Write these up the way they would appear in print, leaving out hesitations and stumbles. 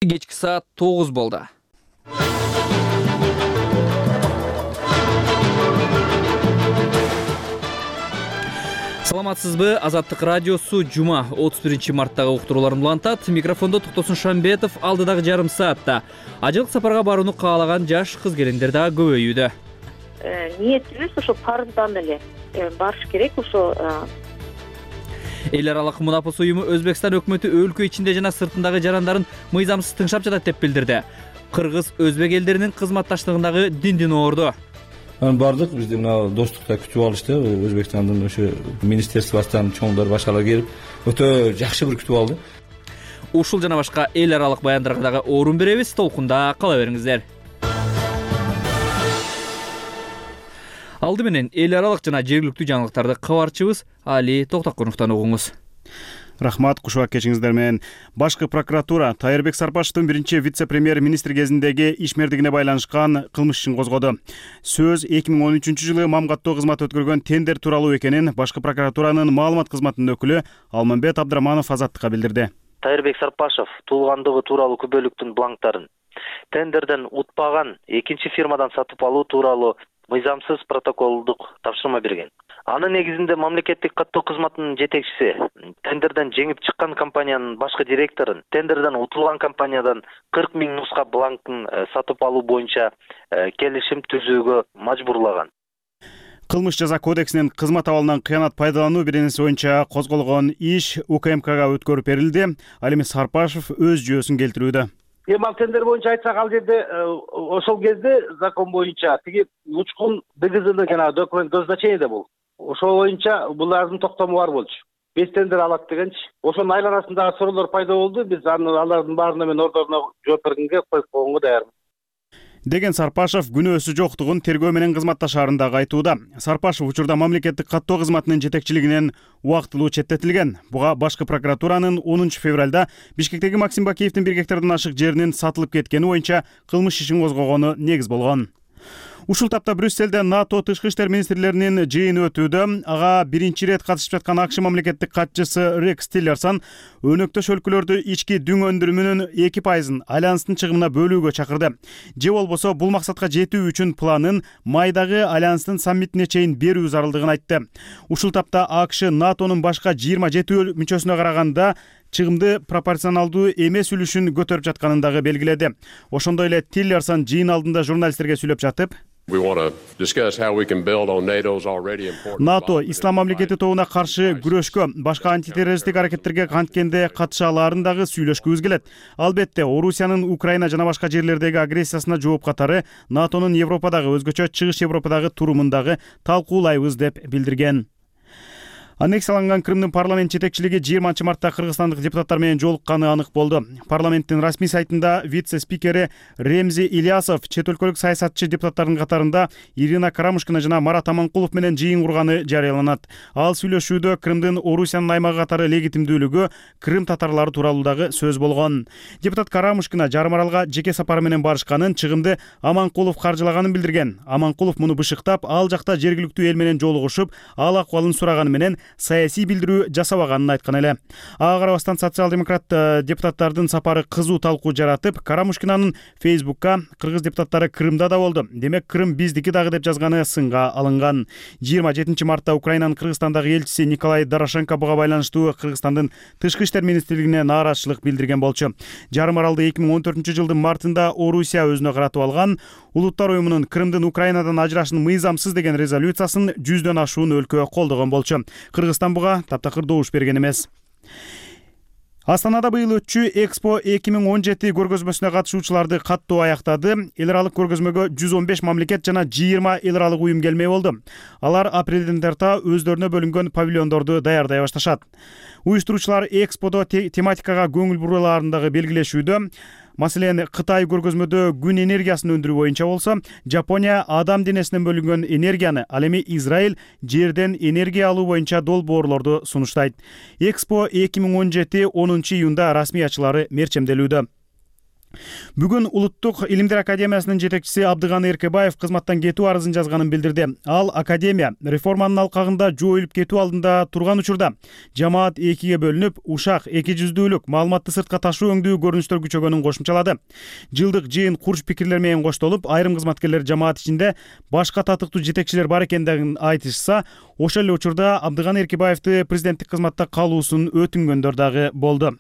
Кечки саат 9 болду. Саламатсызбы? Азаттык радиосу жума 31 марттагы уктурууларын улантат. Микрофондо Токтосун Шамбетов. Алдыдагы жарым саатта ажылык сапарга барууну каалаган жаш кыз-келиндер дагы көбөйүүдө. Ниетибиз ошо парыздан эле барыш керек. Ошо Эл аралык мунапыс уюму Өзбекстан өкмөтү өлкө ичинде жана сыртындагы жарандарын мыйзамсыз тыңшап жатат деп билдирди. Кыргыз өзбек элдеринин кызматташтыгындагы диндин орду. Бардык бизди мына достукта күтүп алышты. Өзбекстандын ошо министерствосунан чоңдор башкалар келип, өтө жакшы бир күтүп алды. Ушул жана башка эл аралык баяндарга дагы орун беребиз. Толкунда кала бериңиздер. Алды менен эл аралык жана жергиликтүү жаңылыктарды кабарчыбыз Али Токтокуновдон угуңуз. Рахмат, кушуак кечиңиздер менен. Башкы прокуратура Тайырбек Сарпашевдин биринчи вице-премьер-министр кезиндеги ишмердигине байланышкан кылмыш ишин козгоду. Сөз 2013-жылы мамгаттоо кызмат өткөргөн тендер тууралуу экенин башкы прокуратуранын маалымат кызматынын өкүлү Алмамбет Абдыраманов Азаттыкка билдирди. Тайырбек Сарпашев туулгандыгы тууралуу күбөлүктүн бланктарын тендерден утпаган экинчи фирмадан сатып алуу тууралуу мыйзамсыз протоколдук тапшырма берген. Анын негизинде мамлекеттик каттоо кызматынын жетекчиси тендерден жеңип чыккан компаниянын башкы директорун тендерден утулган компаниядан 40 000 нуска бланктын сатып алуу боюнча келишим түзүүгө мажбурлаган. Кылмыш жаза кодексинин кызмат абалынан кыянат пайдалануу беренеси боюнча козголгон иш УКМКга өткөрүп берилди. Ал эми Сарпашев өз жүйөсүн келтирүүдө. Ал тендер боюнча айтсак, ал жерде ошол кезде закон боюнча тиги учкун ДГЗнын жанагы документ назначениеде бул. Ошол боюнча булардын токтому бар болчу. 5 тендер алат дегенчи. Ошонун айланасындагы суроолор пайда болду. Биз алардын баарына мен ордоруна жооп бергенге коюп койгонго даярмын. Деген Сарпашев күнөөсү жоктугун тергөө менен кызматташаарында айтууда. Сарпашев учурда мамлекеттик каттоо кызматынын жетекчилигинен убактылуу четтетилген. Буга башкы прокуратуранын 10 февралда Бишкектеги Максим Бакиевдин 1 гектардан ашык жеринин сатылып кеткени боюнча кылмыш ишин козгогону негиз болгон. Ушул тапта Брюсселде НАТО тышкы иштер министрлеринин жыйыны өтүүдө. Ага биринчи ирет катышып жаткан АКШ мамлекеттик катчысы Рекс Тиллерсон өнөктөш өлкөлөрдү ички дүң өндүрүмүнүн 2% альянстын чыгымына бөлүүгө чакырды. Же болбосо бул максатка жетүү үчүн планын майдагы альянстын саммитине чейин берүү зарылдыгын айтты. Ушул тапта АКШ НАТОнун башка 27 мүчөсүнө караганда чыгымды пропорционалдуу эмес үлүшүн көтөрүп жатканын дагы белгиледи. Ошондой эле Тиллерсон жыйын алдында журналисттерге сүйлөп жатып, НАТО ислам мамлекети тобуна каршы күрөшкө, башка антитеррористтик аракеттерге канткенде катыша алаарын дагы сүйлөшкүбүз келет. Албетте, Орусиянын Украина жана башка жерлердеги агрессиясына жооп катары НАТОнун Европадагы, өзгөчө Чыгыш Европадагы турумун дагы талкуулайбыз деп билдирген. Аннексияланган Крымдын парламент жетекчилиги 20 мартта кыргызстандык депутаттар менен жолукканы анык болду. Парламенттин расмий сайтында вице-спикери Ремзи Ильясов чет өлкөлүк саясатчы депутаттардын катарында Ирина Карамушкина жана Марат Аманкулов менен жыйын курганы жарыяланат. Ал сүйлөшүүдө Крымдын Орусиянын аймагы катары легитимдүүлүгү, Крым татарлары тууралуу дагы сөз болгон. Депутат Карамушкина жарым аралга жеке сапары менен барышканын, чыгымды Аманкулов каржылаганын билдирген. Аманкулов муну бышыктап, ал жакта жергиликтүү эл менен жолугушуп, ал акыбалын сураганы менен саясий билдирүү жасабаганын айткан эле. Ага карабастан социал-демократ депутаттардын сапары кызуу талкуу жаратып, Карамушкинанын Фейсбукка кыргыз депутаттары Крымда да болду. Демек, Крым биздики дагы деп жазганы сынга алынган. 27 мартта Украинанын Кыргызстандагы элчиси Николай Дорошенко буга байланыштуу Кыргызстандын тышкы иштер министрлигине нааразычылык билдирген болчу. Жарым аралды 2014-жылдын мартында Орусия өзүнө каратып алган. Улуттар уюмунун Крымдын Украинадан ажырашын мыйзамсыз деген резолюциясын 100дөн ашуун өлкө колдогон болчу. Кыргызстан буга таптакыр добуш берген эмес. Астанада быйыл өтчү Экспо 2017 көргөзмөсүнө катышуучуларды каттоо аяктады. Эл аралык көргөзмөгө 115 мамлекет жана 20 эл аралык уюм келмей болду. Алар апрелден тарта өздөрүнө бөлүнгөн павильондорду даярдай башташат. Уюштуруучулар Эксподо тематикага көңүл бурулаарын дагы белгилешүүдө. Маселен, Кытай көргөзмөдө күн энергиясын өндүрүү боюнча болсо, Жапония адам денесинен бөлүнгөн энергияны, ал эми Израиль жерден энергия алуу боюнча долбоорлорду сунуштайт. Экспо 2017 10 июнда расмий ачылары мерчемделүүдө. Бүгүн Улуттук илимдер академиясынын жетекчиси Абдыганы Эркебаев кызматтан кетүү арызын жазганын билдирди. Ал академия реформанын алкагында жоюлуп кетүү алдында турган учурда жамаат экиге бөлүнүп, ушак, эки жүздүүлүк, маалыматты сыртка ташуу өңдүү көрүнүштөр күчөгөнүн кошумчалады. Жылдык жыйын курч пикирлер менен коштолуп, айрым кызматкерлер жамаат ичинде башка татыктуу жетекчилер бар экендигин айтышса, ошол эле учурда Абдыганы Эркебаевди президенттик кызматта калуусун өтүнгөндөр дагы болду.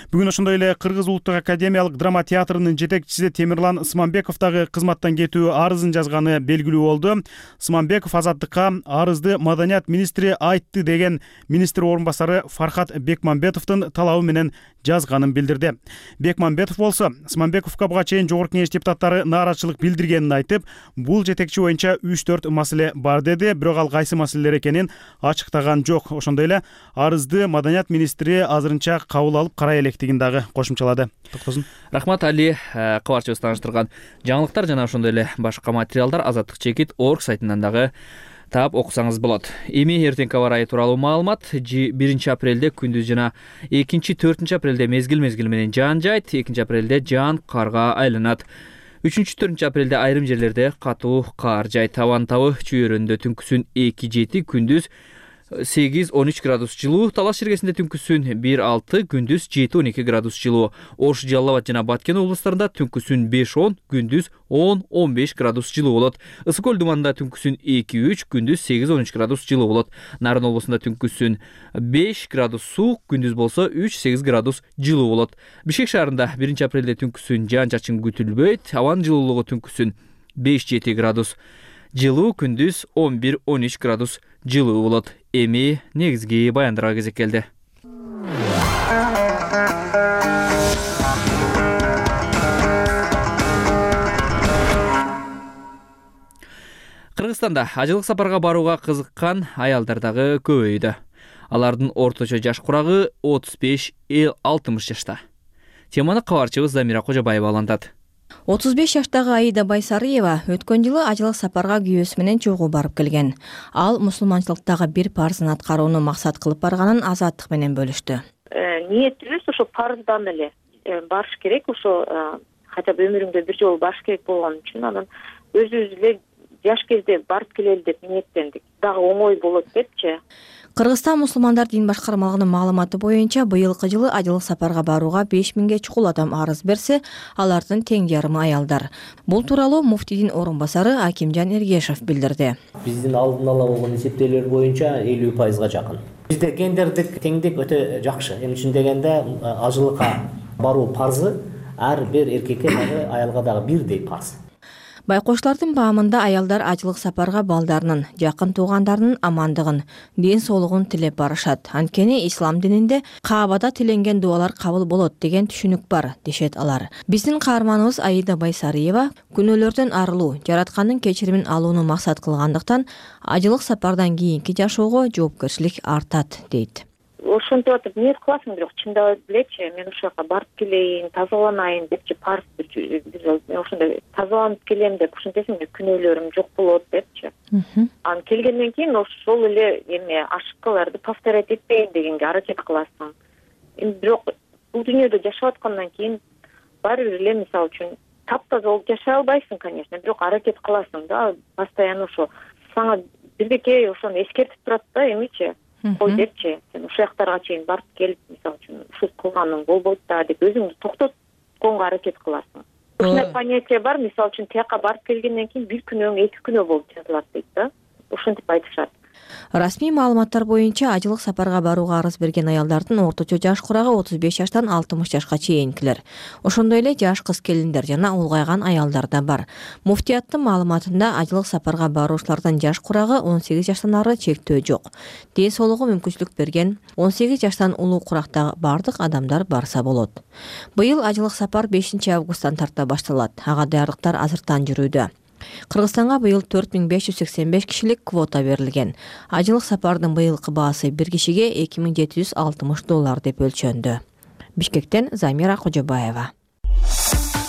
Бүгүн ошондой эле Кыргыз улуттук академиялык драма театрынын жетекчиси Темирлан Смамбеков дагы кызматтан кетүү арызын жазганы белгилүү болду. Смамбеков Азаттыкка арызды маданият министри айтты деген министр орун басары Фархат Бекмамбетовдун талабы менен жазганын билдирди. Бекмамбетов болсо Смамбековго буга чейин жогорку кеңеш депутаттары нааразычылык билдиргенин айтып, бул жетекчи боюнча 3-4 маселе бар деди, бирок ал кайсы маселелер экенин ачыктаган жок. Ошондой эле арызды маданият министри азырынча кабыл алып карай электигин дагы кошумчалады. Токтосун. Рахмат Али, кабарчыбыз тааныштырган жаңылыктар жана ошондой эле башка материалдар azattik.org сайтынан дагы таап окусаңыз болот. Эми эртеңки аба ырайы тууралуу маалымат. 1 апрелде күндүз жана 2-4 апрелде мезгил менен жаан жайт, 2 апрелде жаан карга айланат. 3-4 апрелде айрым жерлерде катуу кар жайт. Абанын табы чүйөрүндө түнкүсүн 2-7, күндүз 8-13 градус жылуу, Талаш шергесинде түнкүсүн 1-6, күндүз 7-12 градус жылуу. Ош, Жалал Абад жана Баткен облустарында түнкүсүн 5-10, күндүз 10-15 градус жылуу болот. Ысык көл думанында түнкүсүн 2-3, күндүз 8-13 градус жылуу болот. Нарын облусунда түнкүсүн 5 градус суук, күндүз болсо 3-8 градус жылуу болот. Бишкек шаарында 1 апрелде түнкүсүн жаан-чачын күтүлбөйт. Абанын жылуулугу түнкүсүн 5-7 градус жылуу, күндүз 11-13 градус жылуу болот. Эми негизги баяндарга кезек келди. Кыргызстанда ажылык сапарга барууга кызыккан аялдар дагы көбөйдү. Алардын орточо жаш курагы 35-60 жашта. Теманы кабарчыбыз Замира Кожобаева алантат. 35 жаштагы Аида Байсарыева өткөн жылы ажылык сапарга күйөөсү менен чогуу барып келген. Ал мусулманчылыктагы бир парзын аткарууну максат кылып барганын Азаттык менен бөлүштү. Ниетибиз ошо парыздан эле барыш керек, ошо хотя бы өмүрүңдө бир жолу барыш керек болгон үчүн анан өзүбүз эле жаш кезде барып келели деп ниеттендик. Дагы оңой болот депчи. Кыргызстан мусулмандар дин башкармалыгынын маалыматы боюнча быйылкы жылы ажылык сапарга барууга 5000ге чукул адам арыз берсе, алардын тең жарымы аялдар. Бул тууралуу муфтийдин орун басары Акимжан Эргешев билдирди. Биздин алдын ала болгон эсептөөлөр боюнча 50%га жакын. Бизде гендердик теңдик өтө жакшы. Эмне үчүн дегенде ажылыкка баруу парзы ар бир эркекке дагы аялга дагы бирдей парз. Байкоштардын баамында аялдар ажылык сапарга балдарынын, жакын туугандарынын амандыгын, ден соолугун тилеп барышат. Анткени ислам дининде Каабада тиленген дуалар кабыл болот деген түшүнүк бар, дешет алар. Биздин каарманыбыз Аида Байсарыева күнөөлөрдөн арылуу, жараткандын кечиримин алууну максат кылгандыктан ажылык сапардан кийинки жашоого жоопкерчилик артат, дейт. Ошентип атып ниет кыласың, бирок чындап элечи, мен ошол жака барып келейин, тазаланайын депчи, парз мен ошондой тазаланып келем деп ушинтесем күнөөлөрүм жок болот депчи. Анан келгенден кийин ошол эле эме ошибкаларды повторять этпейин дегенге аракет кыласың. Бирок бул дүйнөдө жашап аткандан кийин баары бир эле мисалы үчүн таптаза болуп жашай албайсың, конечно, бирок аракет кыласың да, постоянно ошо сага бирдеке ошону эскертип турат да, эмичи. Кой депчи, сен ушул жактарга чейин барып келип, мисалы үчүн ушул кылганың болбойт да деп өзүңдү токтотконго аракет кыласың. Ушундай понятие бар, мисалы үчүн тияка барып келгенден кийин бир күнөөң 2 күнөө болуп жазылат дейт да. Ушинтип айтышат. Расмий маалыматтар боюнча ажылык сапарга барууга арыз берген аялдардын орточо жаш курагы 35 жаштан 60 жашка чейинкилер. Ошондой эле жаш кыз келиндер жана улгайган аялдар да бар. Муфтияттын маалыматында ажылык сапарга баруучулардын жаш курагы 18 жаштан ары чектөө жок. Ден соолугу мүмкүнчүлүк берген 18 жаштан улуу курактагы бардык адамдар барса болот. Быйыл ажылык сапар 5 августтан тарта башталат. Ага даярдыктар азыртан жүрүүдө. Кыргызстанга быйыл 4585 кишилик квота берилген. Ажылык сапардын быйылкы баасы бир кишиге $2760 деп өлчөндү. Бишкектен Замира Кожобаева.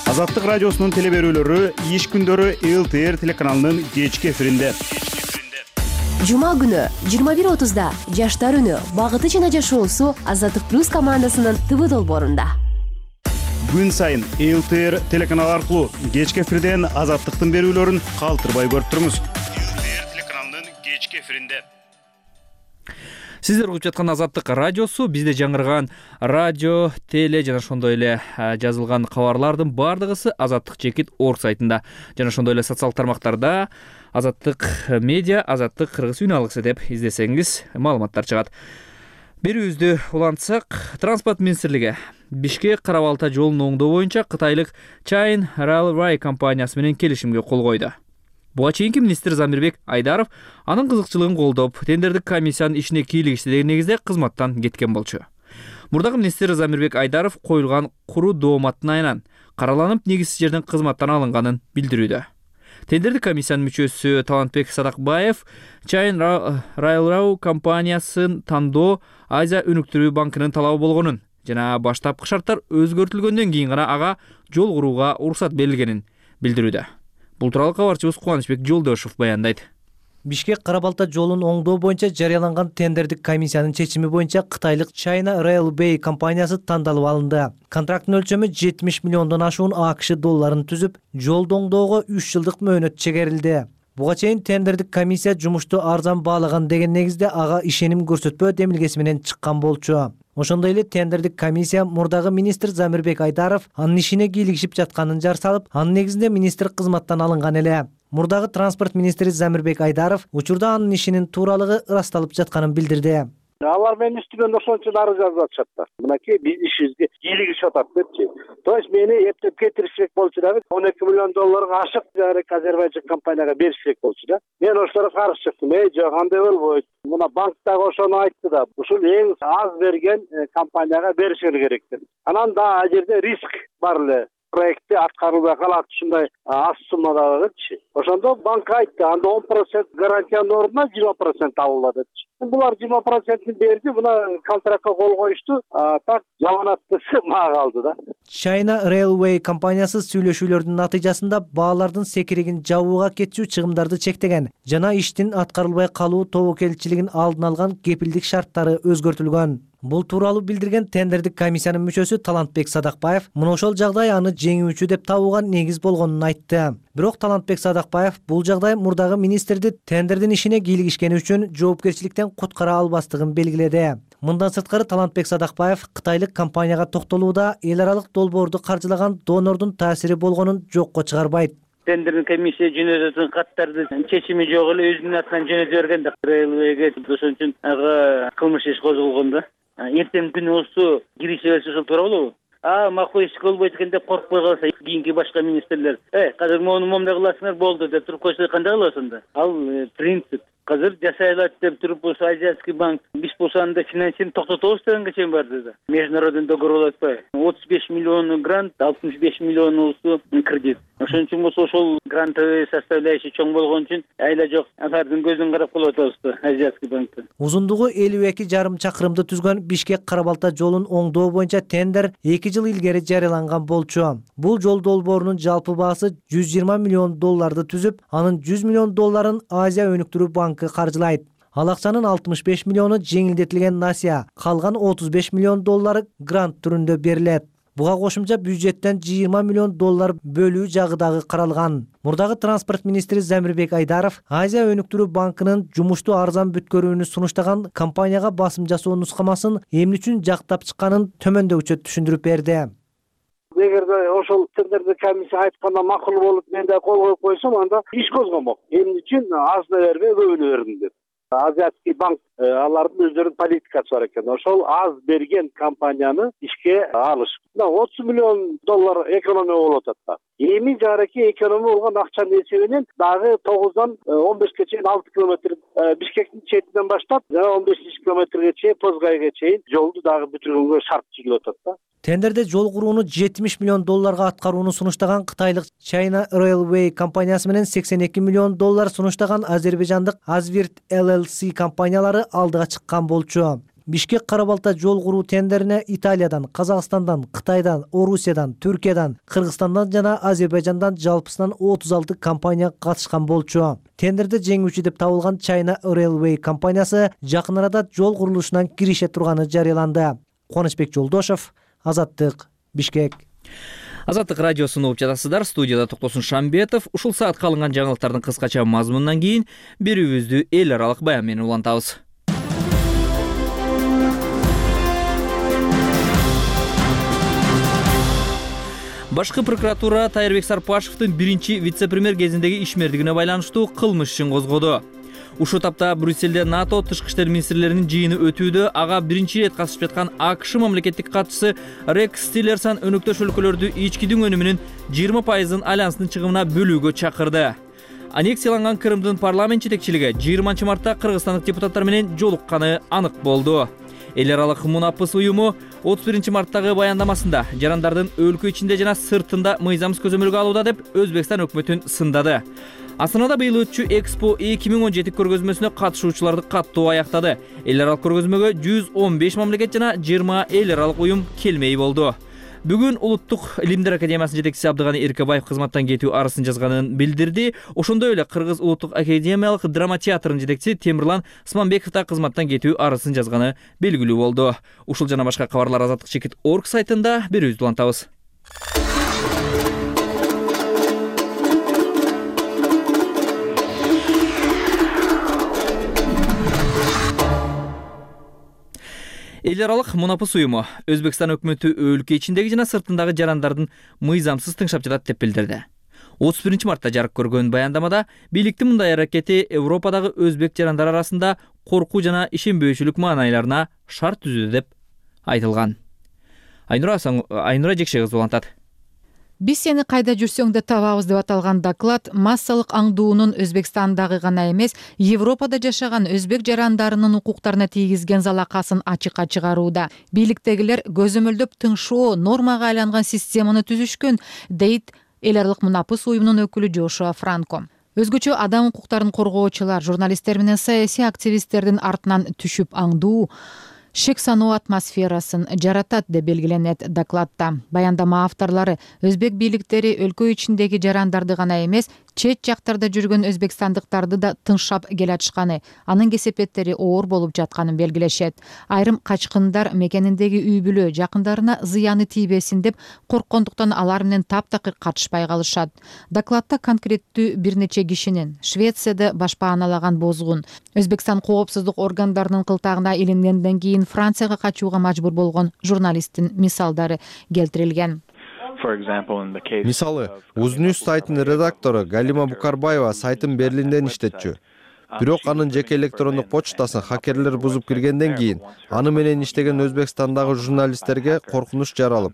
Азаттык радиосунун телеберүүлөрү иш күндөрү ЛТР телеканалынын кечки эфиринде. Жума күнү 21:30да Жаштар үнү, багыты жана жашоосу Азаттык плюс командасынын ТВ долбоорунда. күн сайын ЛТР телеканалы аркылуу кечки эфирден Азаттыктын берүүлөрүн калтырбай көрүп туруңуз. ЛТР телеканалынын кечки эфиринде сиздер угуп жаткан Азаттык радиосу, бизде жаңырган радио, теле жана ошондой эле жазылган кабарлардын баардыгысы Азаттык.org сайтында жана ошондой эле социалдык тармактарда Азаттык медиа, Азаттык кыргыз үн алгысы деп издесеңиз маалыматтар чыгат. Берүүбүздү улантсак, Транспорт министрлиги Бишкек Кара Балта жолун оңдоо боюнча кытайлык China Railway компаниясы менен келишимге кол койду. Буга чейинки министр Замирбек Айдаров анын кызыкчылыгын колдоп, тендердик комиссиянын ишине кийлигишти деген негизде кызматтан кеткен болчу. Мурдагы министр Замирбек Айдаров коюлган куруу дооматтын айынан караланып, негизсиз жерден кызматтан алынганын билдирүүдө. Тендердик комиссиянын мүчөсү Талантбек Садакбаев China Railway компаниясын тандоо Азия өнүктүрүү банкынын талабы болгонун жана баштапкы шарттар өзгөртүлгөндөн кийин гана ага жол курууга уруксат берилгенин билдирүүдө. Бул тууралуу кабарчыбыз Кубанычбек Жолдошов баяндайт. Бишкек Кара Балта жолун оңдоо боюнча жарыяланган тендердик комиссиянын чечими боюнча кытайлык China Railway компаниясы тандалып алынды. Контракттын өлчөмү 70 миллиондон ашуун АКШ долларын түзүп, жолду оңдоого 3 жылдык мөөнөт чегерилди. Буга чейин тендердик комиссия жумушту арзан баалаган деген негизде ага ишеним көрсөтпөө демилгеси менен чыккан болчу. Ошондой эле тендердик комиссия мурдагы министр Замирбек Айдаров анын ишине кийлигишип жатканын жар салып, анын негизинде министр кызматтан алынган эле. Мурдагы транспорт министри Замирбек Айдаров учурда анын ишинин тууралыгы ырасталып жатканын билдирди. Алар менин үстүмөн ошончо дары жазып атышат да. Мынакей биз ишибизге кийлигишип атат депчи. То есть мени эптеп кетиришек болчу дагы 12 миллион долларга ашык Азербайжан компанияга беришек болчу да. Мен ошолорго каршы чыктым. Жок, андай болбойт. Мына банктагы ошону айтты да. Ушул эң аз берген компанияга беришер керек деп. Анан да ал жерде риск бар эле. Проектти аткарылбай калат, ушундай аз суммада депчи. Ошондо банк айтты, анда 10% гарантиянын ордуна 20% алынат депчи. Булар 20%-ни берди, мына контрактка кол коюшту, так жаланаттысы мага калды да. China Railway компаниясы сүйлөшүүлөрдүн натыйжасында баалардын секиригин жабууга кетчү чыгымдарды чектеген жана иштин аткарылбай калуу тобокелчилигин алдын алган кепилдик шарттары өзгөртүлгөн. Бул тууралуу билдирген тендердик комиссиянын мүчөсү Талантбек Садакбаев мына ошол жагдай аны жеңүүчү деп табууга негиз болгонун айтты. Бирок Талантбек Садакбаев бул жагдай мурдагы министрди тендердин ишине кийлигишкени үчүн жоопкерчиликтен куткара албастыгын белгиледи. Мындан сырткары Талантбек Садакбаев кытайлык компанияга токтолууда эл аралык долбоорду каржылаган донордун таасири болгонун жокко чыгарбайт. Тендердик комиссия жөнөтөтүн каттарды чечими жок эле өзүнүн атынан жөнөтө берген да. Railway'ге ошон үчүн ага кылмыш иш козголгон да. Эртең күнү болсо киреше берсе ошол туура болобу? Макул иш болбойт экен деп коркпой калса, кийинки башка министрлер, казыр моуну момундай кыласыңар болду деп туруп койсо кандай кыласың анда? Ал принцип. Казыр жасай алат деп туруп болсо Азиатский банк биз болсо анда финансирование токтотобуз дегенге чейин барды да. Международный договор болуп атпайбы? 35 миллион грант, 65 миллион болсо кредит. Ошон үчүн болсо ошол грантовый составляющий чоң болгон үчүн айла жок алардын көзүн карап калып атабыз да Азиатский банктан. Узундугу 52,5 чакырымды түзгөн Бишкек Кара Балта жолун оңдоо боюнча тендер 2 жыл илгери жарыяланган болчу. Бул жол долбоорунун жалпы баасы 120 миллион долларды түзүп, анын 100 миллион долларын Азия өнүктүрүү банкы каржылайт. Ал акчанын 65 миллиону жеңилдетилген насия, калган 35 миллион доллары грант түрүндө берилет. Буга кошумча бюджеттен 20 миллион доллар бөлүү жагы дагы каралган. Мурдагы транспорт министри Замирбек Айдаров Азия өнүктүрүү банкынын жумушту арзан бүткөрүүнү сунуштаган компанияга басым жасоо нускамасын эмне үчүн жактап чыкканын төмөндөгүчө түшүндүрүп берди. Эгерде ошол тендердик комиссия айтканда макул болуп, мен да кол коюп койсом, анда иш козгомок. Эмне үчүн азына бербей көбүнө бердим деп. Азиатский банк алардын өздөрүнүн политикасы бар экен. Ошол аз берген компанияны ишке алыш. 30 миллион доллар экономия болуп атат да. Эми жараки экономия болгон акчанын эсебинен дагы 9дан 15ке чейин 6 километр Бишкектин четинен баштап жана 15 километрге чейин Позгайга чейин жолду дагы бүтүргөнгө шарт чыгып атат да. Тендерде жол курууну 70 миллион долларга аткарууну сунуштаган кытайлык China Railway компаниясы менен 82 миллион доллар сунуштаган азербайжандык Azvirt LLC компаниялары алдыга чыккан болчу. Бишкек Кара Балта жол куруу тендерине Италиядан, Казакстандан, Кытайдан, Орусиядан, Түркиядан, Кыргызстандан жана Азербайжандан жалпысынан 36 компания катышкан болчу. Тендерде жеңүүчү деп табылган China Railway компаниясы жакын арада жол курулушунан кирише турганы жарыяланды. Кубанычбек Жолдошов, Азаттык, Бишкек. Азаттык радиосун угуп жатасыздар. Студияда Токтосун Шамбетов. Ушул саатка алынган жаңылыктардын кыскача мазмунунан кийин берүүбүздү эл аралык баян менен улантабыз. Башкы прокуратура Тайырбек Сарпашевдин биринчи вице-премьер кезиндеги ишмердигине байланыштуу кылмыш ишин козгоду. Ушул тапта Брюссельде НАТО тышкы иштер министрлеринин жыйыны өтүүдө ага биринчи ирет катышып жаткан АКШ мамлекеттик катчысы Рекс Тиллерсон өнөктөш өлкөлөрдү ичкидин өнүмүнүн 20% альянстын чыгымына бөлүүгө чакырды. Аннексияланган Крымдын парламент жетекчилиги 20 мартта кыргызстандык депутаттар менен жолукканы анык болду. Эл аралык мунапыс уюму 31 марттагы баяндамасында жарандардын өлкө ичинде жана сыртында мыйзамсыз көзөмөлгө алууда деп Өзбекстан өкмөтүн сындады. Астанада быйыл өтчү Экспо 2017 көргөзмөсүнө катышуучуларды каттуу аяктады. Эл аралык көргөзмөгө 115 мамлекет жана 20 эл аралык уюм келмей болду. Бүгүн Улуттук илимдер академиясынын жетекчиси Абдыганы Эркебаев кызматтан кетүү арызын жазганын билдирди. Ошондой эле Кыргыз Улуттук академиялык драма театрынын жетекчиси Темирлан Сманбеков да кызматтан кетүү арызын жазганы белгилүү болду. Ушул жана башка кабарлар Азаттык чекит орг сайтында берүүбүздү улантабыз. Эл аралык мунапыс уюму Өзбекстан өкмөтү өлкө ичиндеги жана сыртындагы жарандардын мыйзамсыз тыңшап жатат деп билдирди. 31 мартта жарык көргөн баяндамада бийликтин мындай аракети Европадагы өзбек жарандар арасында коркуу жана ишенбөөчүлүк маанайларына шарт түзүүдө деп айтылган. Айнура Жекше кызы улантат. Биз сени кайда жүрсөң да табабыз деп аталган доклад массалык аңдуунун Өзбекстандагы гана эмес, Европада жашаган өзбек жарандарынын укуктарына тийгизген залакасын ачыкка чыгарууда. Бийликтегилер көзөмөлдөп тыңшоо нормага айланган системаны түзүшкөн, дейт эл аралык мунапыс уюмунун өкүлү Жошуа Франко. Өзгөчө адам укуктарын коргоочулар, журналисттер менен саясий активисттердин артынан түшүп аңдуу шек саноо атмосферасын жаратат деп белгиленет докладта. Баяндама авторлары өзбек бийликтери өлкө ичиндеги жарандарды гана эмес, чет жактарда жүргөн өзбекстандыктарды да тыңшап келатышканы, анын кесепеттери оор болуп жатканын белгилешет. Айрым качкындар мекениндеги үй бүлө жакындарына зыяны тийбесин деп корккондуктан алар менен таптакыр катышпай калышат. Докладта конкреттүү бир нече кишинин Швецияда башпааналаган бозгун, Өзбекстан коопсуздук органдарынын кылтагына илингенден кийин Францияга качууга мажбур болгон журналисттин мисалдары келтирилген. Мисалы, Узнюс сайтынын редактору Галима Букарбаева сайтын Берлинден иштетчү. Бирок анын жеке электрондук почтасын хакерлер бузуп киргенден кийин аны менен иштеген Өзбекстандагы журналисттерге коркунуч жаралып,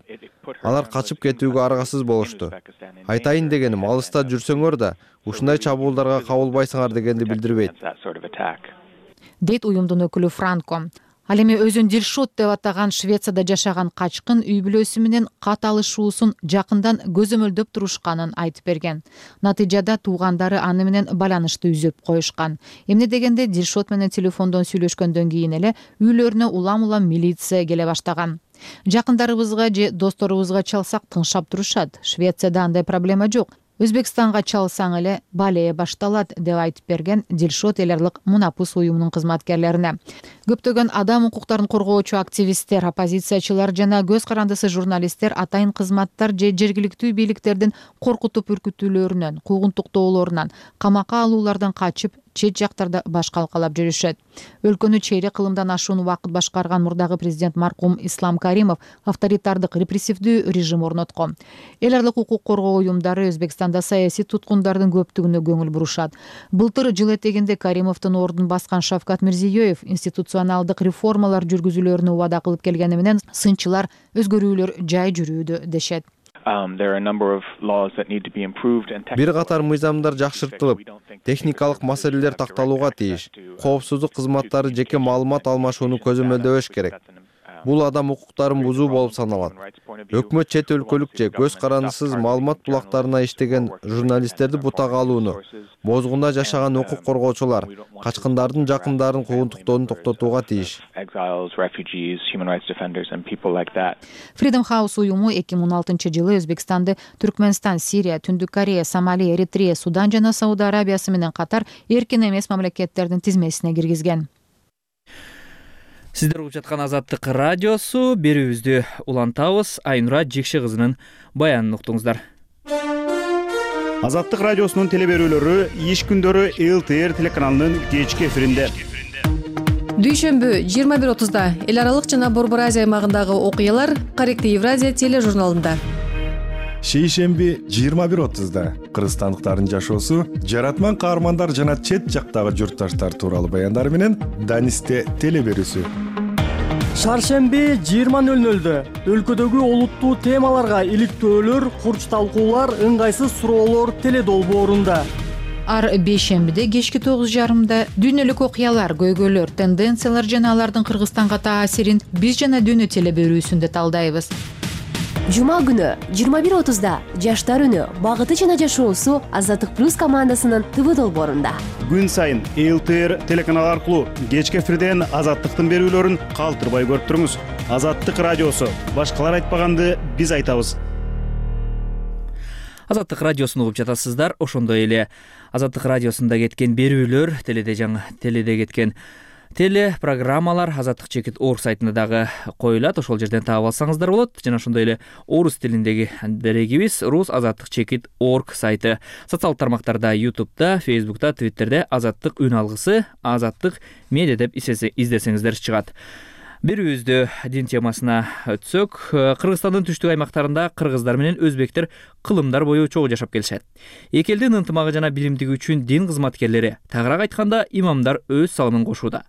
алар качып кетүүгө аргасыз болушту. Айтайын дегеним, алыста жүрсөңөр да ушундай чабуулдарга кабылбайсыңар дегенди билдирбейт, дейт уюмдун өкүлү Франко. Ал эми өзүн Дилшот деп атаган Швецияда жашаган качкын үй бүлөсү менен кат алышуусун жакындан көзөмөлдөп турушканын айтып берген. Натыйжада туугандары аны менен байланышты үзүп коюшкан. Эмне дегенде Дилшот менен телефондон сүйлөшкөндөн кийин эле үйлөрүнө улам милиция келе баштаган. Жакындарыбызга же досторубузга чалсак тыңшап турушат. Швецияда андай проблема жок. Өзбекстанга чалсаң эле балее башталат деп айтып берген Дилшот эл аралык мунапыс уюмунун кызматкерлерине. Көптөгөн адам укуктарын коргоочу активисттер, оппозициячылар жана көз карандысы журналисттер атайын кызматтар же жергиликтүү бийликтердин коркутуп үркүтүүлөрүнөн, куугунтуктоолорунан, камакка алуулардан качып чет жактарда баш калкалап жүрүшөт. Өлкөнү чейрек кылымдан ашуун убакыт башкарган мурдагы президент маркум Ислам Каримов авторитардык репрессивдүү режим орноткон. Эл аралык укук коргоо уюмдары Өзбекстанда саясий туткундардын көптүгүнө көңүл бурушат. Былтыр жыл этегинде Каримовдун ордун баскан Шавкат Мирзиёев институционалдык реформалар жүргүзүүлөрүнү убада кылып келгени менен сынчылар өзгөрүүлөр жай жүрүүдө дешет. Бир катар мыйзамдар жакшыртылып, техникалык маселелер такталууга тийиш. Коопсуздук кызматтары жеке маалымат алмашууну көзөмөлдөбөш керек. Бул адам укуктарын бузуу болуп саналат. Өкмөт чет өлкөлүк же көз карандысыз маалымат булактарына иштеген журналисттерди бутага алууну, бозгунда жашаган укук коргоочулар, качкындардын жакындарын куугунтуктоону токтотууга тийиш. Freedom House уюму 2016-жылы Өзбекстанды Түркмөнстан, Сирия, Түндүк Корея, Сомали, Эритрея, Судан жана Сауд Арабиясы менен катар эркин эмес мамлекеттердин тизмесине киргизген. Сиздер угуп жаткан Азаттык радиосу. Берүүбүздү улантабыз. Айнура Жекше кызынын баянын уктуңуздар. Азаттык радиосунун телеберүүлөрү иш күндөрү ЛТР телеканалынын кечки эфиринде. Дүйшөмбү 21:30 эл аралык жана Борбор Азия аймагындагы окуялар Корректив Евразия тележурналында. Шейшемби 21:30 кыргызстандыктардын жашоосу, жаратман каармандар жана чет жактагы журтташтар тууралуу баяндар менен Данисте телеберүүсү. Шаршемби 20:00 өлкөдөгү олуттуу темаларга иликтөөлөр, курч талкуулар, ыңгайсыз суроолор теледолбоорунда. Ар бейшембиде кечки 9:30 дүйнөлүк окуялар, көйгөйлөр, тенденциялар жана алардын Кыргызстанга таасирин биз жана дүйнө телеберүүсүндө талдайбыз. Жума күнү 21:30 жаштар үнү, багыты жана жашоосу Азаттык плюс командасынын ТВ долбоорунда. Күн сайын ЛТР телеканалы аркылуу кечки эфирден Азаттыктын берүүлөрүн калтырбай көрүп туруңуз. Азаттык радиосу. Башкалар айтпаганды биз айтабыз. Азаттык радиосун угуп жатасыздар. Ошондой эле Азаттык радиосунда кеткен берүүлөр, теледе кеткен телепрограммалар azattik.org сайтында дагы коюлат. Ошол жерден таап алсаңыздар болот. Жана ошондой эле орус тилиндеги дарегибиз rus.azattik.org сайты. Социалдык тармактарда, YouTube'да, Facebook'та, Twitter'де Азаттык үн алгысы, Азаттык медиа деп издесеңиздер чыгат. Берүүбүздө дин темасына өтсөк, Кыргызстандын түштүк аймактарында кыргыздар менен өзбектер кылымдар бою чогуу жашап келишет. Эки элдин ынтымагы жана биримдиги үчүн дин кызматкерлери, тагыраак айтканда имамдар өз салымын кошууда.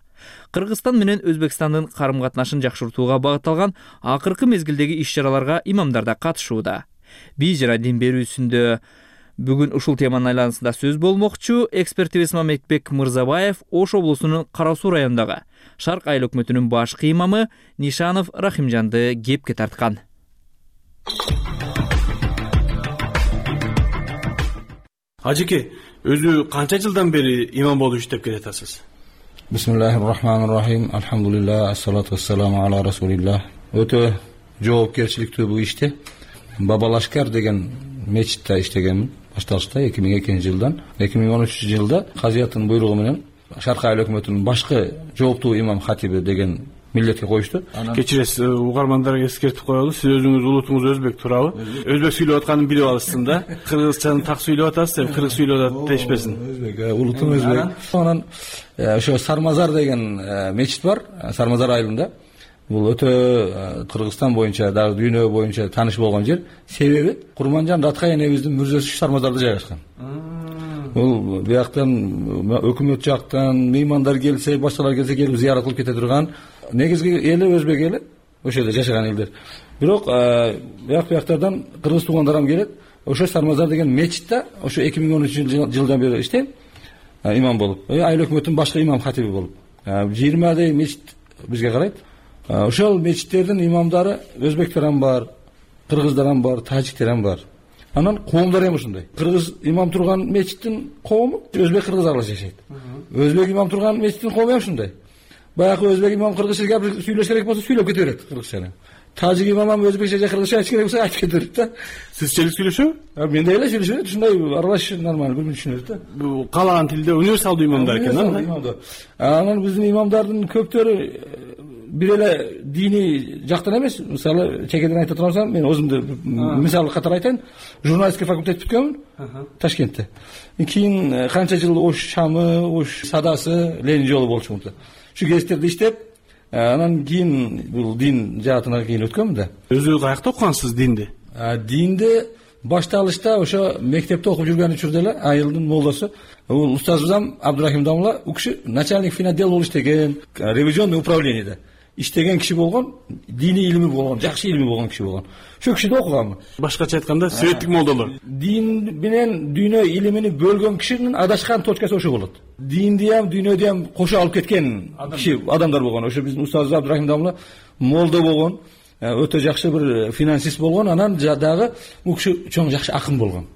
Кыргызстан менен Өзбекстандын карым-катнашын жакшыртууга багытталган акыркы мезгилдеги иш-чараларга имамдар да катышууда. Биз жана дин берүүсүндө бүгүн ушул теманын айланасында сөз болмокчу. Экспертибиз Мамедбек Мырзабаев Ош облусунун Кара Суу районундагы Шарк айыл өкмөтүнүн башкы имамы Нишанов Рахимжанды кепке тарткан. Ажеке, өзү канча жылдан бери имам болуп иштеп келатасыз? Бисмиллахир-рахманир-рахим. Алхамдулиллах, ассалату вассаламу ала расулиллах. Өтө жоопкерчиликтүү бул иште. Бабалашкар деген мечитте иштегенмин. Башталышта 2002 жылдан 2013 жылда казыяттын буйругу менен Шарк айыл өкмөтүнүн башкы жооптуу имам хатиби деген милдетке коюшту. Кечиресиз, угармандарга эскертип коелу. Сиз өзүңүз улутуңуз өзбек тууралуу. Өзбек сүйлөп атканын билип алышсың да. Кыргызчаны так сүйлөп атасыз, кыргыз сүйлөп атат дешпесин. Өзбек, улутум өзбек. Анан ошо Сармазар деген мечит бар, Сармазар айылында. Бул өтө Кыргызстан боюнча, дагы дүйнө боюнча тааныш болгон жер. Себеби Курманжан Раткай энебиздин мүрзөсү Сармазарда жайгашкан. Бул бияктан өкмөт жактан меймандар келсе, башкалар келсе келип зыярат кылып кете турган. Негизги эли өзбек эли, ошол жерде жашаган элдер. Бирок бияктардан кыргыз туугандарым келет. Ошо Сармазар деген мечитте ошо 2013 жылдан бери иштейм. Имам болуп, айыл өкмөтүнүн башкы имам хатиби болуп. 20 мечит бизге карайт. Ошол мечиттердин имамдары өзбектерден бар, кыргыздардан бар, тажиктерден бар. Анан коомдор эми ушундай. Кыргыз имам турган мечиттин коому өзбек кыргыз аралаш жашайт. Өзбек имам турган мечиттин коому ушундай. Баягы өзбек имам кыргызча гапыр сүйлөш керек болсо сүйлөп кете берет кыргызча. Тажик имам өзбекче же кыргызча айтыш керек болсо айтып кете берет да. Сизче сүйлөшөбү? Мен деле сүйлөшөм, ушундай аралаш нормально бир түшүнөт да. Бул каалаган тилде универсалдуу имамдар экен, Анан биздин имамдардын көптөрү бир эле дини жактан эмес. Мисалы, чекеден айтып турсам, мен өзүмдү мисал катары айтайын. Журналистика факультет бүткөнмүн Ташкентте. Кийин канча жыл Ош Шамы, Ош Садасы, Ленин жолу болчумун да. Şu кездерде иштеп, анан кийин бул дин жаатына кийин өткөнмүн да. Өзү каякта окугансыз динди? Динди башталышта ошо мектепте окуп жүргөн учурда эле айылдын молдосу, бул устазыбызам Абдурахим Дамла, у киши начальник финотдел болуп иштеген, ревизионный управлениеде иштеген киши болгон, дини илими болгон, жакшы илими болгон киши болгон. Ошол кишиде окуганмын. Башкача айтканда светтик молдолор. Дин менен дүйнө илимини бөлгөн кишинин адашкан точкасы ошо болот. Динди ham, дүйнөдү ham кошо алып кеткен киши адамдар болгон. Ошо биздин устазыбыз Абдурахим Дамла молдо болгон, өтө жакшы бир финансист болгон, анан дагы бул киши чоң жакшы акын болгон.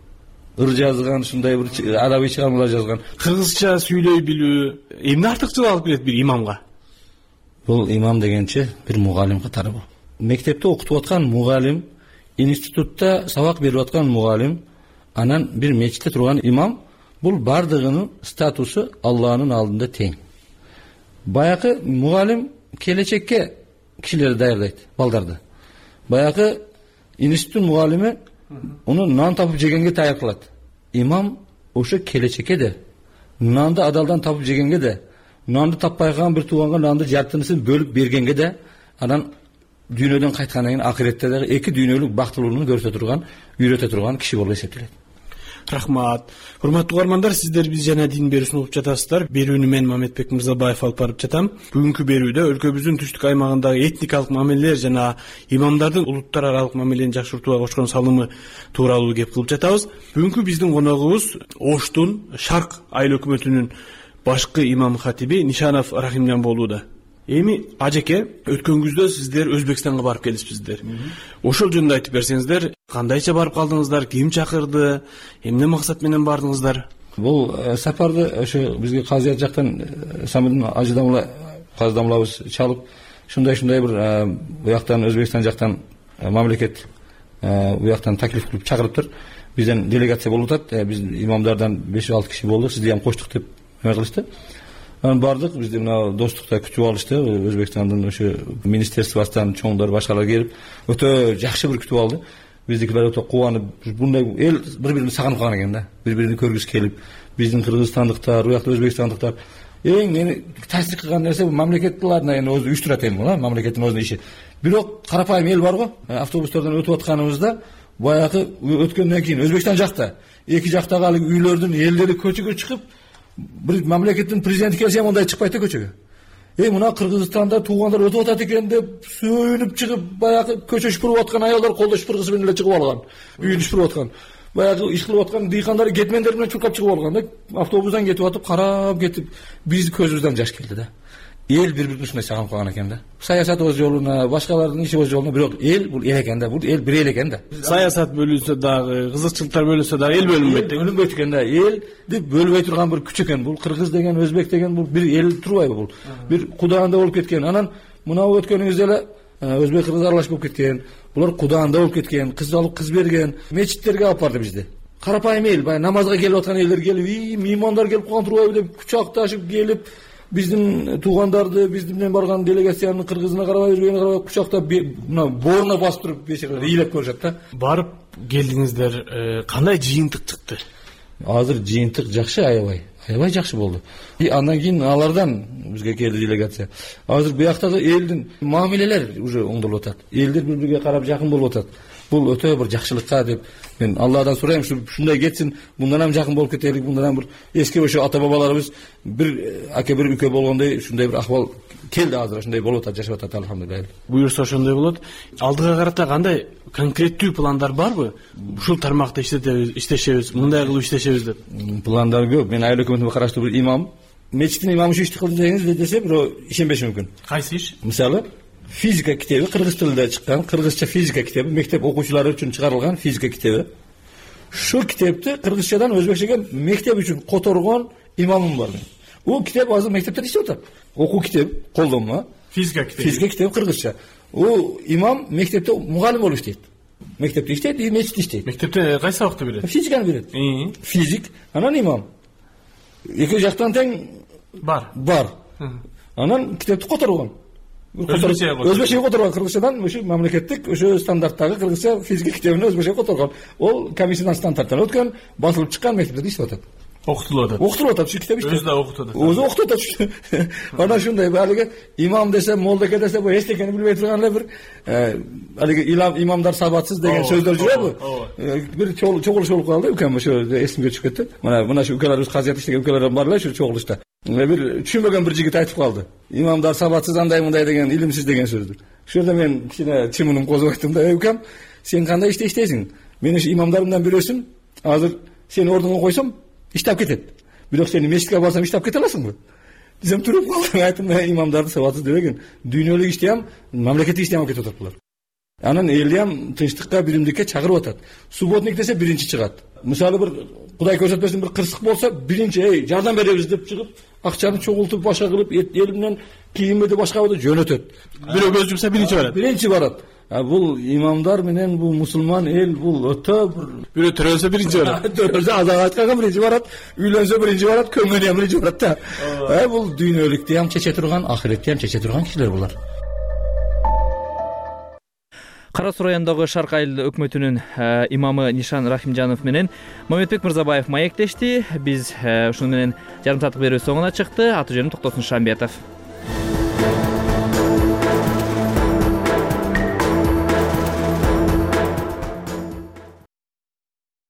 Ыр жазган, ушундай бир адаби чыгармалар жазган. Кыргызча сүйлөй билүү эмне артыкчылык алып келет бир имамга? Бул имам дегенче бир мугалим катары бул. Мектепте окутуп аткан мугалим, институтта сабак берип аткан мугалим, анан бир мечитте турган имам, бул бардыгынын статусу Алланын алдында тең. Баягы мугалим келечекке кишилерди даярдайт, балдарды. Баягы институттун мугалими уну нан тапып жегенге даяр кылат. Имам ошо келечекке да нанды адалдан тапып жегенге да, нанды таппай калган бир тууганга нанды жартынысын бөлүп бергенге да, анан дүйнөдөн кайткандан кийин акыретте дагы эки дүйнөлүк бактылуулугун көрсөтө турган, үйрөтө турган киши болуп эсептелет. Рахмат. Урматтуу угармандар, сиздер биз жана дин берүүсүн угуп жатасыздар. Берүүнү мен Мамедбек Мырзабаев алып барып жатам. Бүгүнкү берүүдө өлкөбүздүн түштүк аймагындагы этникалык мамилелер жана имамдардын улуттар аралык мамилени жакшыртууга кошкон салымы тууралуу кеп кылып жатабыз. Бүгүнкү биздин коногубуз Оштун Шарк айыл өкмөтүнүн башкы имам хатиби Нишанов Рахимжан болууда. Эми ажеке, өткөн күздө сиздер Өзбекстанга барып келипсиздер. Ошол жөнүндө айтып берсеңиздер, кандайча барып калдыңыздар, ким чакырды, эмне максат менен бардыңыздар? Бул сапарды ошо бизге казият жактан самырдын ажыдамлабыз чалып, ушундай бир буяктан Өзбекстан жактан мамлекет буяктан таклиф кылып чакырыптыр. Бизден делегация болуп атат. Биз имамдардан 5-6 киши болдук. Сизди ham коштук деп кылышты. Анан бардык, бизди мына достукта күтүп алышты. Өзбекстандын ошо министерствосунан чоңдор, башкалар келип, өтө жакшы бир күтүп алды. Биздикилер өтө кубанып, мындай эл бири-бирин сагынып калган экен да. Бири-бирин көргүсү келип, биздин кыргызстандыктар, буякта өзбекстандыктар эң мени таасир кылган нерсе бул мамлекеттилердин эми өзү уюштурат эми бул, мамлекеттин өзүнүн иши. Бирок карапайым эл бар го, автобустардан өтүп атканыбызда баягы өткөндөн кийин Өзбекстан жакта эки жактагы алыг үйлөрдүн элдери көчөгө чыгып, бир мамлекеттин президенти келсе ham мындай чыкпайт да көчөгө. Мына Кыргызстанда туугандар өтүп атат экен деп сүйүнүп чыгып, баягы көчө шупуруп аткан аялдар колдо шупургысы менен эле чыгып алган. Үйүн шупуруп аткан. Баягы иш кылып аткан дыйкандар кетмендер менен чуркап чыгып алган да. Автобустан кетип атып, карап кетип, биздин көзүбүздөн жаш келди да. Эл бири-бирин ушундай сагынып калган экен да. Саясатыбыз жолуна, башкалардын иши жолуна, бирок эл бул эл экен да. Бул эл бир эл экен да. Саясат бөлүнсө дагы, кызыкчылыктар бөлүнсө дагы эл бөлүнбөйт. Бөлүнбөйт экен да. Элди бөлбөй турган бир күч экен. Бул кыргыз деген, өзбек деген бул бир эл турбайбы бул? Бир кудаанда болуп кеткен. Анан мына өткөнүңүздө эле өзбек кыргыз аралаш болуп кеткен. Булар кудаанда болуп кеткен, кыз алып кыз берген, мечиттерге алып барды бизди. Карапайым эл, баягы намазга келип аткан элдер келип, меймандар келип калган турбайбы деп кучакташып келип, биздин туугандарды, биздин менен барган делегациянын кыргызына карабай, өзбегине карабай кучактап, мына бооруна басып туруп бешикалар ыйлап көрүшөт да. Барып келдиңиздер, кандай жыйынтык чыкты? Азыр жыйынтык жакшы, аябай жакшы болду. Андан кийин алардан бизге келди делегация. Азыр буяктагы элдин мамилелер уже оңдолуп атат. Элдер бири-бириге карап жакын болуп атат. Бул өтө бир жакшылыкка деп мен Алладан сурайм, ушундай кетсин, мындан ham жакын болуп кетелик, мындан ham бир эски ошо ата бабаларыбыз бир аке бир үкө болгондой ушундай бир акыбал келди азыр, ошондой болуп атат, жашап атат, алхамдулилlah. Буюрса ошондой болот. Алдыга карата кандай конкреттүү пландар барбы? Ушул тармакта иштешебиз, мындай кылып иштешебиз деп. Пландар көп. Мен айыл өкмөтүнө караштуу бир имам, мечиттин имамы ушу ишти кылды дегениз десе, бирөө ишенбеши мүмкүн. Кайсы иш? Мисалы, физика китеби, кыргыз тилинде чыккан кыргызча физика китеби, мектеп окуучулары үчүн чыгарылган физика китеби. Шу китепти кыргызчадан өзбекчеге мектеп үчүн которгон имамым бар. Бул китеп азыр мектепте иштеп атат. Окуу китеп, колдонма. Физика китеби. Физика китеби кыргызча. Бул имам мектепте мугалим болуп иштейт. Мектепте иштейт, мечитте иштейт. Мектепте кайсы сабакты берет? Физиканы берет. Физик, анан имам. Эки жактан тең бар. Анан китепти которгон. Өзбекчеге которгон, кыргызчадан ошо мамлекеттик ошо стандарттагы кыргызча физика китебин өзбекчеге которгон. Ол комиссиядан стандарттан өткөн, басылып чыккан, мектепте иштеп атат. Окутулуп атат. Окутулуп атат, ушу китеп иштеп. Өзү да окутуп атат. Өзү окутуп атат. Анан ушундай алиги имам десе, молдеке десе, бу эч экенин билбей турган эле бир алиги имамдар сабатсыз деген сөздөр жүрөбү? Бир чогулуш болуп калды, үкем ошо эсимге түшүп кетти. Мына ушу укаларыбыз казият иштеген укалар бар эле ушу чогулушта. Бир түшүнбөгөн бир жигит айтып калды. Имамдар сабатсыз андай мындай деген, илимсиз деген сөздү. Ошол жерде мен кичине чымыным козуп айттым да, укем, сен кандай иштейсиң? Мен ушу имамдарымдан бирөөсүн, азыр сени ордуңа койсом, иштеп кетет. Бирок сени мечитке барсам иштеп кете аласыңбы? Десем туруп калдым, айттым, имамдарды сабатсыз дебеген. Дүйнөлүк ишти ham, мамлекеттик ишти ham кетип атат булар. Анан элди ham тынчтыкка, биримдикке чакырып атат. Субботник десе биринчи чыгат. Мисалы бир Кудай көрсөтпөсүн бир кырсык болсо, биринчи жардам беребиз деп чыгып, акчаны чогултуп, башка кылып, эл менен кийимди башка жөнөтөт. Бирөө көз жумса биринчи барат. Биринчи барат. бул имамдар менен бул мусулман эл бул өтө бирөө төрөлсө биринчи барат. Төрөлсө азак айтканга биринчи барат, үйлөнсө биринчи барат, көңгөнү ham биринчи барат да. Бул дүйнөлүктү ham чече турган, ахиретти ham чече турган кишилер булар. Кара Суу районундагы Шарк айыл өкмөтүнүн имамы Нишан Рахимжанов менен Мамедбек Мырзабаев маектешти. Биз ушуну менен жарым сааттык берүү соңуна чыкты. Аты жөнүм Токтосун Шамбетов.